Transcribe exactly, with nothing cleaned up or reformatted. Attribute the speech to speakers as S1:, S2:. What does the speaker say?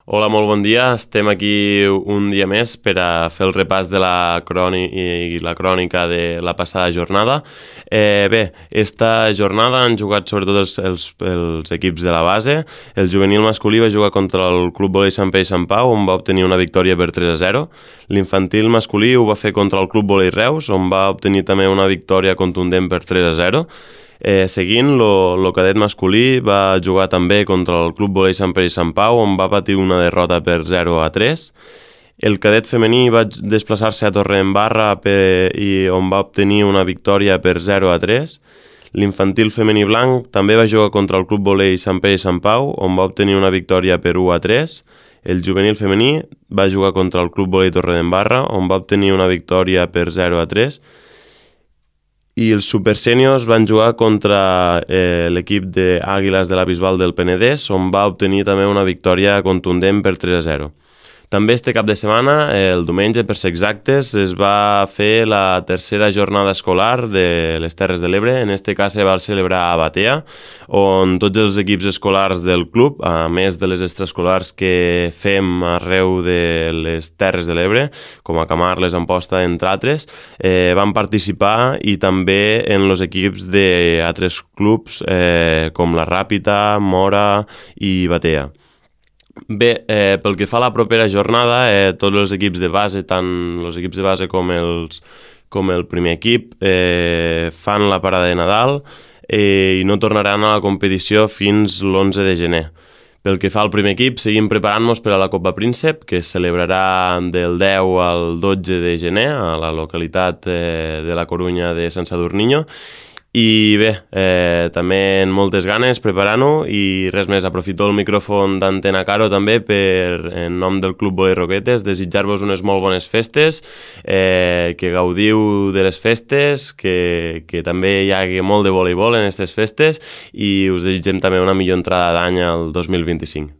S1: Hola, molt bon dia. Estem aquí un dia més per a fer el repàs de la crònica i la crònica de la passada jornada. Eh, bé, esta jornada han jugat sobretot els, els, els equips de la base. El juvenil masculí va jugar contra el Club Volei Sant Pere i Sant Pau, on va obtenir una victòria per tres a zero. L'infantil masculí ho va fer contra el Club Volei Reus, on va obtenir també una victòria contundent per tres a zero. Eh, seguint, el cadet masculí va jugar també contra el Club Volei Sant Pere i Sant Pau, on va patir una derrota per zero a tres. El cadet femení va desplaçar-se a Torredembarra per, i on va obtenir una victòria per zero a tres. L'infantil femení blanc també va jugar contra el Club Volei Sant Pere i Sant Pau, on va obtenir una victòria per u a tres. El juvenil femení va jugar contra el Club Volei Torredembarra, on va obtenir una victòria per zero a tres. I els supersèniors van jugar contra eh, l'equip d'Àguiles de la Bisbal del Penedès, on va obtenir també una victòria contundent per tres a zero. També este cap de setmana, el diumenge, per ser exactes, es va fer la tercera jornada escolar de les Terres de l'Ebre. En este cas se va celebrar a Batea, on tots els equips escolars del club, a més de les extraescolars que fem arreu de les Terres de l'Ebre, com a Camarles, Amposta, entre altres, eh, van participar i també en els equips d'altres clubs eh, com la Ràpita, Mora i Batea. Bé, eh, pel que fa a la propera jornada, eh, tots els equips de base, tant els equips de base com, els, com el primer equip, eh, fan la parada de Nadal eh, i no tornaran a la competició fins l'onze de gener. Pel que fa al primer equip, seguim preparant-nos per a la Copa Príncep, que es celebrarà del deu al dotze de gener a la localitat eh, de la Corunya de Sant Sadurniño. I bé, eh, també en moltes ganes preparant-ho i res més, aprofito el micròfon d'Antena Caro també per, en nom del Club Volei Roquetes, desitjar-vos unes molt bones festes, eh, que gaudiu de les festes, que, que també hi hagi molt de voleibol en aquestes festes i us desitgem també una millor entrada d'any al dos mil vint-i-cinc.